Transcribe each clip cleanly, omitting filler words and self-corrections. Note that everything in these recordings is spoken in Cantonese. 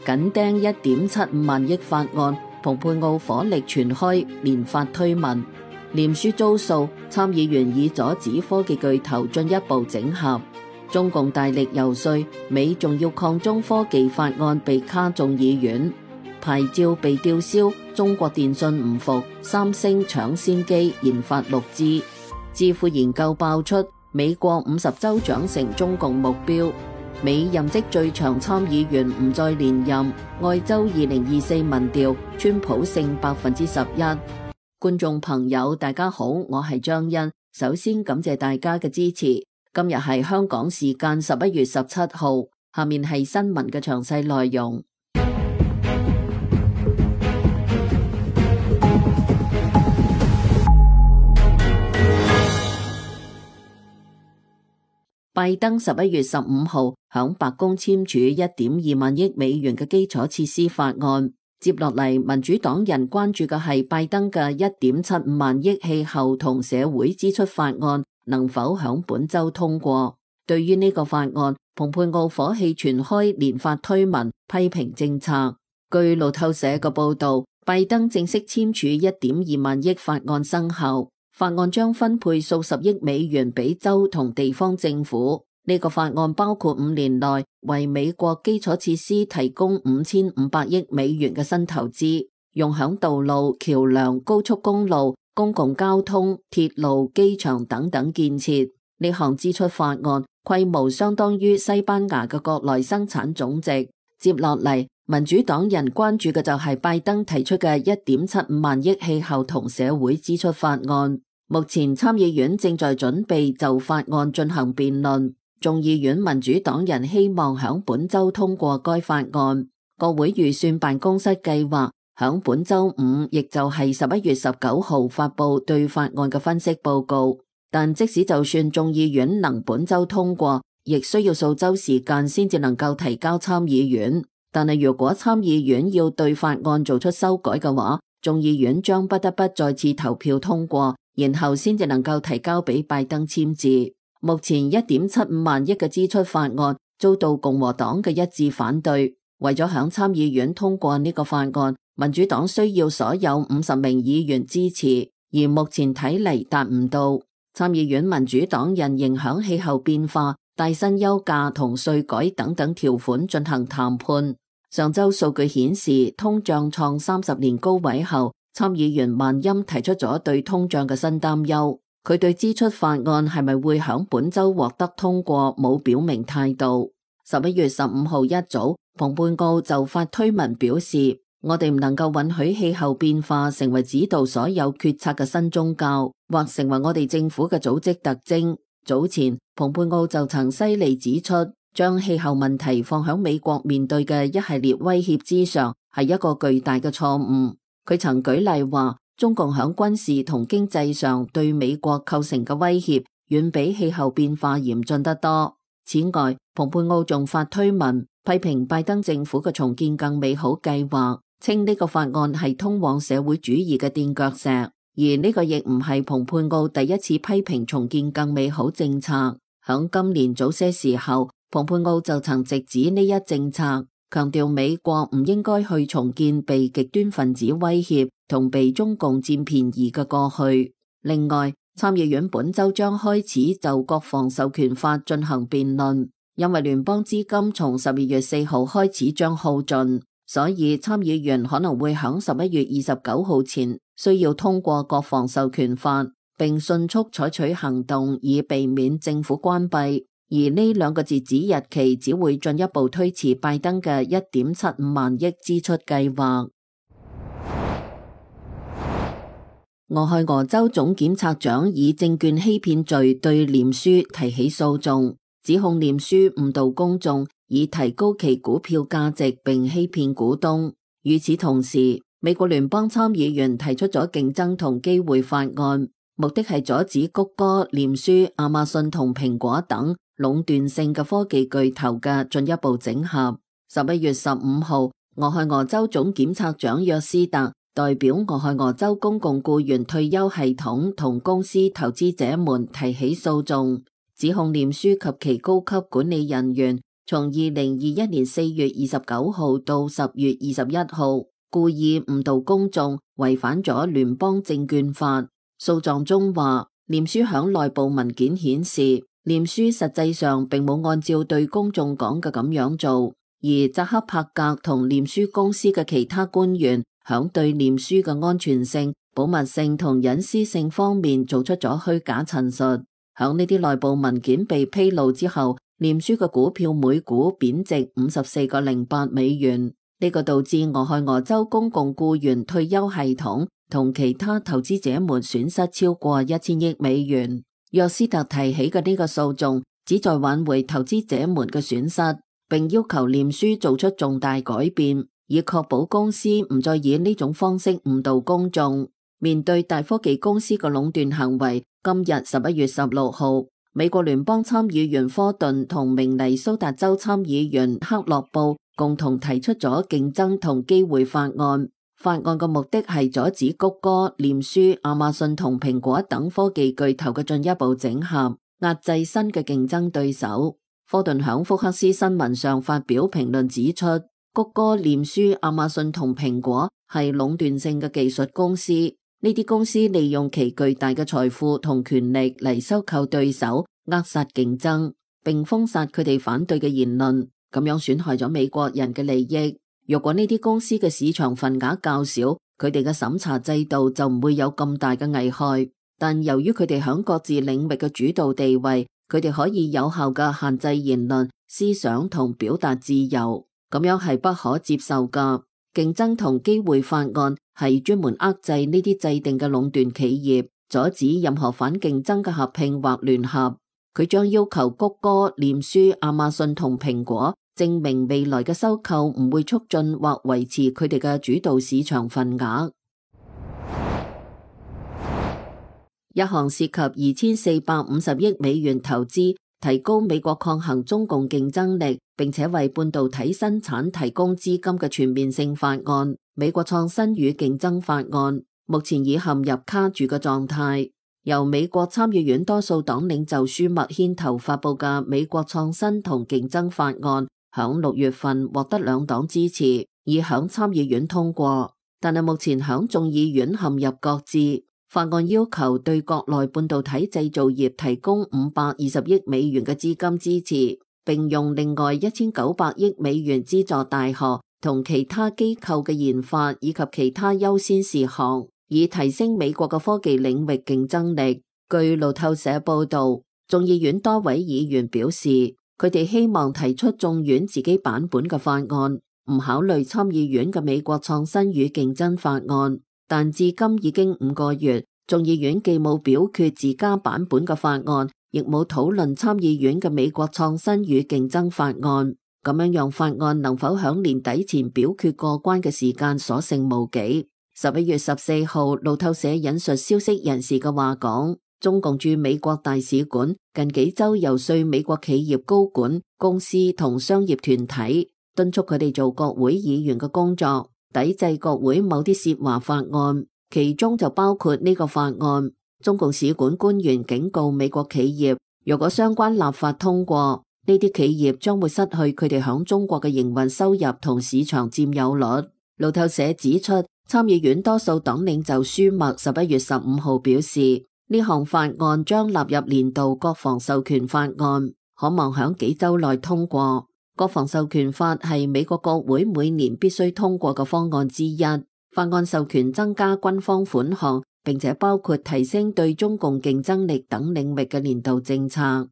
緊盯1.75萬億法案，蓬佩奧火力全開，連發推文。臉書遭訴，參議員以阻止科技巨頭進一步整合。中共大力游說，美重要抗中科技法案被卡眾議院。牌照被吊銷，中國電信唔服，三星搶先機研發6G。智庫研究爆出，美國50州長成中共目標。美任職最長參議員唔再連任。愛州2024民調，川普勝11%。觀眾朋友大家好，我係張欣，首先感謝大家嘅支持。今日係香港時間11月17號，下面係新聞嘅詳細內容。拜登11月15號響白宮簽署1.2萬億美元嘅基礎設施法案。接落嚟，民主黨人關注嘅係拜登嘅1.75萬億氣候同社會支出法案能否響本周通過。對於呢個法案，蓬佩奧火氣全開，連發推文批評政策。據路透社嘅報道，拜登正式簽署1.2萬億法案生效。法案將分配數十億美元俾州同地方政府。呢個法案包括5年內為美國基礎設施提供5500億美元嘅新投資，用響道路、橋樑、高速公路、公共交通、鐵路、機場等等建設。呢項支出法案規模相當於西班牙嘅國內生產總值。接落嚟，民主黨人關注嘅就係拜登提出嘅1.75萬億氣候同社會支出法案。目前參議院正在準備就法案進行辯論，眾議院民主黨人希望響本周通過該法案。國會預算辦公室計劃響本周五，亦就係11月19號發佈對法案嘅分析報告。但即使就算眾議院能本周通過，亦需要數周時間先至能夠提交參議院。但係如果參議院要對法案做出修改嘅話，眾議院將不得不再次投票通過，然後先至能夠提交俾拜登簽字。目前1.75萬億嘅支出法案遭到共和黨嘅一致反對。為咗響參議院通過呢個法案，民主黨需要所有50名議員支持，而目前睇嚟達唔到。參議院民主黨人仍響氣候變化、帶薪休假同稅改等等條款進行談判。上周數據顯示，通脹創30年高位後，參議員萬欽提出咗對通脹嘅新擔憂。佢對支出法案係咪會響本周獲得通過冇表明態度。11月15號一早，蓬佩奧就發推文表示，我哋唔能夠允許氣候變化成為指導所有決策嘅新宗教，或成為我哋政府嘅組織特徵。早前，蓬佩奧就曾犀利指出，將氣候問題放響美國面對嘅一系列威脅之上，係一個巨大嘅錯誤。佢曾舉例話，中共響軍事同經濟上對美國構成嘅威脅，遠比氣候變化嚴峻得多。此外，蓬佩奧仲發推文批評拜登政府嘅重建更美好計劃，稱呢個法案係通往社會主義嘅墊腳石。而呢個亦唔係蓬佩奧第一次批評重建更美好政策。響今年早些時候，蓬佩奧就曾直指呢一政策，強調美國唔應該去重建被極端分子威脅同被中共佔便宜嘅過去。另外，參議院本周將開始就國防授權法進行辯論，因為聯邦資金從12月4號開始將耗盡，所以參議員可能會響11月29號前需要通過國防授權法，並迅速採取行動以避免政府關閉。而呢兩個截止日期只會進一步推遲拜登嘅1.75萬億支出計劃。俄亥俄州總檢察長以證券欺騙罪對臉書提起訴訟，指控臉書誤導公眾，以提高其股票價值並欺騙股東。與此同時，美國聯邦參議員提出咗競爭同機會法案，目的係阻止谷歌、臉書、亞馬遜同蘋果等壟斷性嘅科技巨頭嘅進一步整合。11月15號，俄亥俄州總檢察長約斯特代表俄亥俄州公共僱員退休系統同公司投資者們提起訴訟，指控臉書及其高級管理人員從2021年4月29號到10月21號，故意誤導公眾，違反咗聯邦證券法。訴狀中話，臉書響內部文件顯示，臉書實際上並冇按照對公眾講嘅咁樣做，而扎克伯格同臉書公司嘅其他官員響對臉書嘅安全性、保密性同隱私性方面做出咗虛假陳述。響呢啲內部文件被披露之後，臉書嘅股票每股貶值54.08美元，呢個導致俄亥俄州公共僱員退休系統同其他投資者們損失超過1000億美元。約斯特提起嘅呢個訴訟旨在挽回投資者們嘅損失，並要求臉書做出重大改變，以確保公司唔再以呢種方式誤導公眾。面對大科技公司嘅壟斷行為，今日11月16號，美國聯邦參議員科頓同明尼蘇達州參議員克洛布共同提出咗競爭同機會法案。法案嘅目的係阻止谷歌、臉書、亞馬遜同蘋果等科技巨頭嘅進一步整合，壓制新嘅競爭對手。科頓響福克斯新聞上發表評論指出，谷歌、臉書、亞馬遜同蘋果係壟斷性嘅技術公司。呢啲公司利用其巨大嘅財富同權力嚟收購對手，扼殺競爭，並封殺佢哋反對嘅言論，咁樣損害咗美國人嘅利益。如果呢啲公司嘅市場份額較少，佢哋嘅審查制度就唔會有咁大嘅危害。但由於佢哋響各自領域嘅主導地位，佢哋可以有效嘅限制言論、思想同表達自由，咁樣係不可接受噶。競爭同機會法案係專門遏制呢啲制定嘅壟斷企業，阻止任何反競爭嘅合併或聯合。佢將要求谷歌、臉書、亞馬遜同蘋果證明未來嘅收購唔會促進或維持佢哋嘅主導市場份額。一項涉及2450億美元投資，提高美國抗衡中共競爭力，並且為半導體生產提供資金嘅全面性法案，美國創新與競爭法案，目前已陷入卡住嘅狀態。由美國參議院多數黨領袖舒默牽頭發佈嘅美國創新同競爭法案，響6月份獲得兩黨支持，已響參議院通過，但係目前響眾議院陷入擱置。法案要求對國內半導體製造業提供520億美元嘅資金支持，並用另外1900億美元資助大學同其他機構嘅研發以及其他優先事項，以提升美國嘅科技領域競爭力。據路透社報道，眾議院多位議員表示，佢哋希望提出眾院自己版本嘅法案，唔考慮參議院嘅美國創新與競爭法案。但至今已經5個月，眾議院既冇表決自家版本嘅法案，亦冇討論參議院嘅美國創新與競爭法案。咁樣讓法案能否響年底前表決過關嘅時間所剩無幾。11月14號，路透社引述消息人士嘅話講，中共駐美國大使館近幾周游說美國企業高管、公司同商業團體，敦促佢哋做國會議員嘅工作，抵制國會某啲涉華法案，其中就包括呢個法案。中共使館官員警告美國企業，如果相關立法通過，呢啲企業將會失去佢哋響中國嘅營運收入同市場佔有率。路透社指出，參議院多數黨領袖舒默11月15號表示，呢項法案將納入年度國防授權法案，可望響幾周內通過。國防授權法係美國國會每年必須通過嘅方案之一。法案授權增加軍方款項，並且包括提升對中共競爭力等領域嘅年度政策。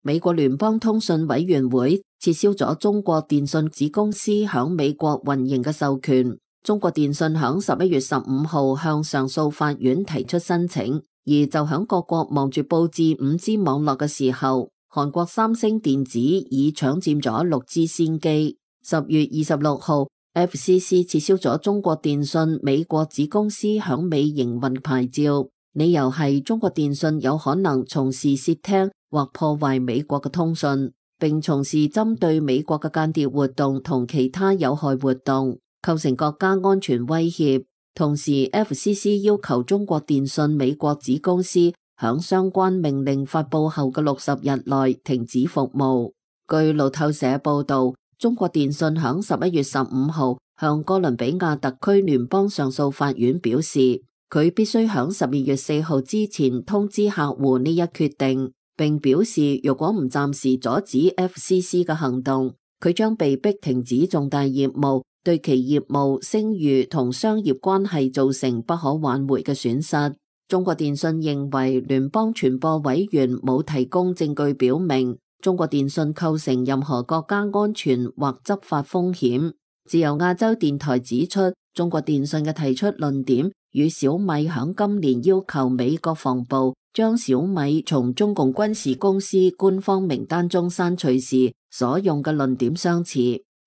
美國聯邦通訊委員會撤銷咗中國電信子公司響美國運營嘅授權。中國電信響11月15號向上訴法院提出申請，而就響各國忙住佈置 5G 網絡嘅時候，韓國三星電子已搶佔咗 6G 先機。10月26號 FCC 撤銷咗中國電信美國子公司響美營運牌照，理由係中國電信有可能從事竊聽或破壞美國嘅通訊，並從事針對美國嘅間諜活動同其他有害活動，構成國家安全威脅。同時 FCC 要求中國電信美國子公司響相關命令發佈後嘅60日內停止服務。據路透社報道，中國電信響11月15號向哥倫比亞特區聯邦上訴法院表示，佢必須響12月4號之前通知客戶呢一決定，並表示如果唔暫時阻止 FCC 嘅行動，佢將被迫停止重大業務，對其業務、聲譽同商業關係造成不可挽回嘅損失。中國電信認為聯邦傳播委員冇提供證據表明中國電信構成任何國家安全或執法風險。自由亞洲電台指出，中國電信嘅提出論點與小米響今年要求美國防部將小米從中共軍事公司官方名單中刪除時所用嘅論點相似。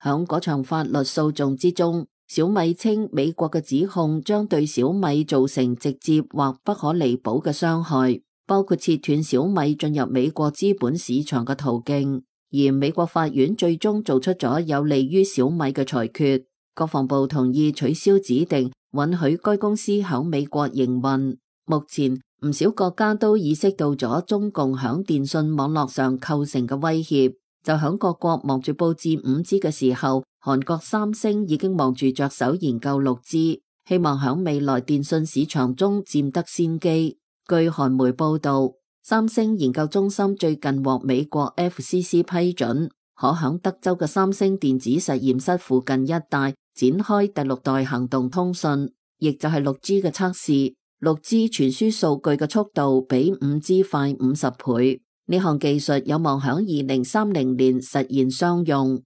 響嗰場法律訴訟之中，小米稱美國嘅指控將對小米造成直接或不可彌補嘅傷害，包括切斷小米進入美國資本市場嘅途徑。而美國法院最終做出咗有利於小米嘅裁決，國防部同意取消指定，允許該公司響美國營運。目前唔少國家都意識到咗中共響電信網絡上構成嘅威脅，就響各國忙住布置 5G 嘅時候，韓國三星已經忙住着手研究 6G， 希望響未來電信市場中佔得先機。據韓媒報道，三星研究中心最近獲美國 FCC 批准，可響德州嘅三星電子實驗室附近一帶展開第6代行動通訊，亦就係 6G 嘅測試。6G 傳輸數據嘅速度比 5G 快50倍，呢項技術有望響2030年實現商用。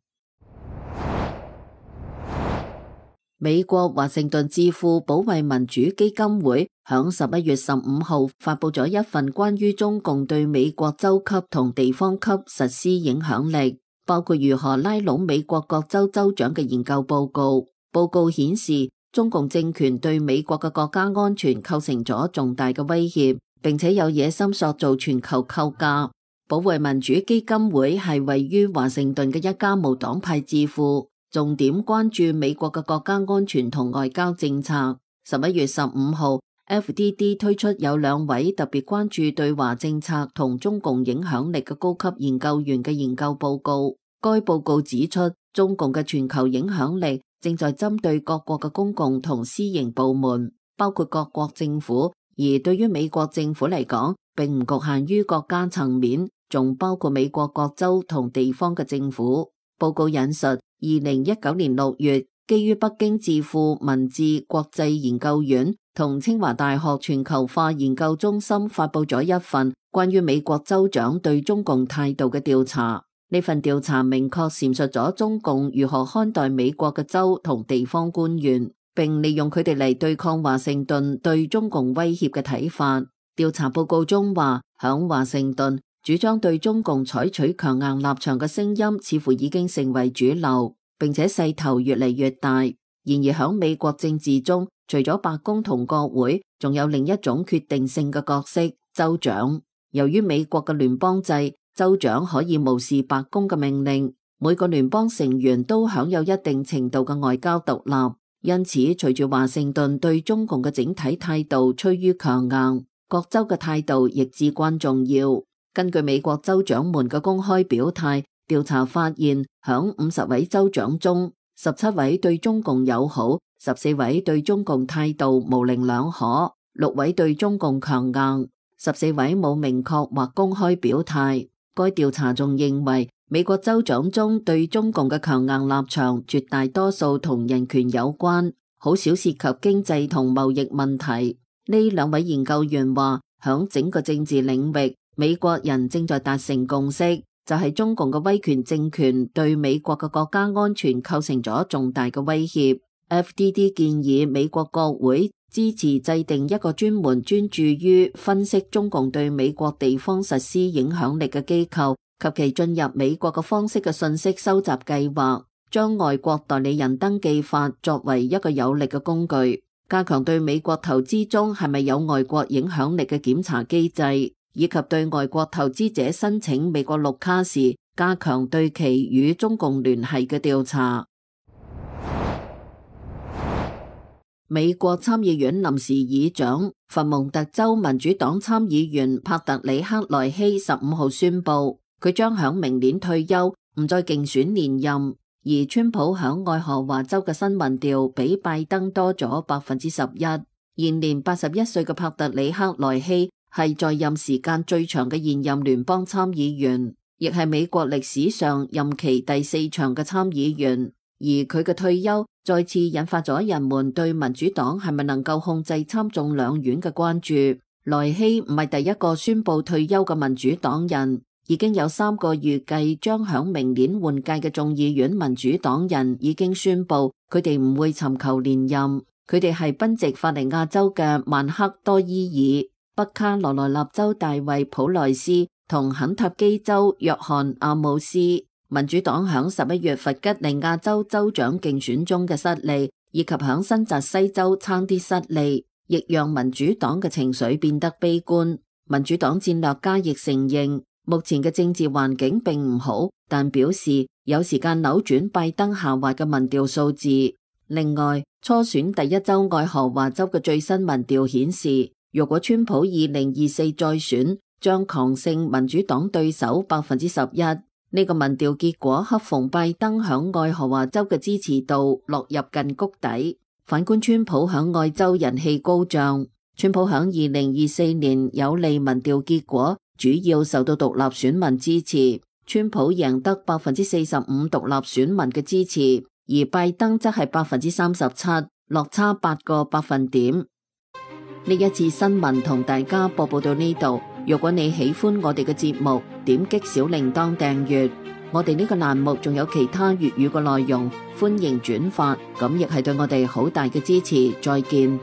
美國華盛頓智庫保衛民主基金會響11月15號發佈咗一份關於中共對美國州級同地方級實施影響力，包括如何拉攏美國各州州長嘅研究報告。報告顯示，中共政權對美國嘅國家安全構成咗重大嘅威脅，並且有野心塑造全球構架。保衛民主基金會係位於華盛頓嘅一家無黨派智庫，重點關注美國嘅國家安全同外交政策。11月15號 FDD 推出有2位特別關注對華政策同中共影響力嘅高級研究員嘅研究報告。該報告指出，中共嘅全球影響力正在針對各國嘅公共同私營部門，包括各國政府，而對於美國政府嚟講，並唔局限於國家層面，仲包括美國各州同地方嘅政府。報告引述2019年6月，基於北京智庫文字國際研究院同清華大學全球化研究中心發佈咗一份關於美國州長對中共態度嘅調查。呢份調查明確闡述咗中共如何看待美國嘅州同地方官員，並利用佢哋嚟對抗華盛頓對中共威脅嘅睇法。調查報告中話，響華盛頓主張對中共採取強硬立場嘅聲音似乎已經成為主流，並且勢頭越嚟越大。然而響美國政治中，除咗白宮同國會，仲有另一種決定性嘅角色——州長。由於美國嘅聯邦制，州長可以無視白宮嘅命令，每個聯邦成員都享有一定程度嘅外交獨立。因此，隨住華盛頓對中共嘅整體態度趨於強硬，各州嘅態度亦至關重要。根據美國州長們嘅公開表態，調查發現，響50位州長中，17位對中共友好，14位對中共態度模棱兩可，6位對中共強硬，14位冇明確或公開表態。該調查仲認為，美國州長中對中共嘅強硬立場絕大多數同人權有關，好少涉及經濟同貿易問題。呢2位研究員話，響整個政治領域，美國人正在達成共識，就係中共嘅威權政權對美國嘅國家安全構成咗重大嘅威脅。FDD 建議美國國會支持制定一個專門專注於分析中共對美國地方實施影響力嘅機構及其進入美國嘅方式嘅信息收集計劃，將外國代理人登記法作為一個有力嘅工具，加強對美國投資中係咪有外國影響力嘅檢查機制，以及對外國投資者申請美國綠卡時加強對其與中共聯繫嘅調查。美國參議院臨時議長佛蒙特州民主黨參議員帕特里克萊希15號宣布，佢將響明年退休，唔再競選連任。而川普響愛荷華州嘅新民調比拜登多咗11%。現年81歲嘅帕特里克萊希係在任時間最長嘅現任聯邦參議員，亦係美國歷史上任期第4長嘅參議員。而佢嘅退休再次引發咗人們對民主黨係咪能夠控制參眾兩院嘅關注。萊希唔係第一個宣布退休嘅民主黨人，已經有3個預計將響明年換屆嘅眾議院民主黨人已經宣布佢哋唔會尋求連任。佢哋係賓夕法尼亞州嘅曼克多伊爾、北卡羅來納州大衛普萊斯同肯塔基州約翰阿姆斯。民主黨響11月弗吉尼亞州州長競選中嘅失利，以及響新澤西州差啲失利，亦讓民主黨嘅情緒變得悲觀。民主黨戰略家亦承認，目前嘅政治環境並唔好，但表示有時間扭轉拜登下滑嘅民調數字。另外，初選第一州愛荷華州嘅最新民調顯示，若果川普2024再選，將狂勝民主黨對手11%。呢個民調結果恰逢拜登響愛荷華州嘅支持度落入近谷底。反觀川普響愛州人氣高漲，川普響2024年有利民調結果主要受到獨立選民支持，川普贏得45%獨立選民嘅支持，而拜登則係37%，落差8個百分點。呢一次新聞同大家播報到呢度。如果你喜歡我哋嘅節目，點擊小鈴鐺訂閱。我哋呢個欄目仲有其他粵語嘅內容，歡迎轉發，咁亦係對我哋好大嘅支持。再見。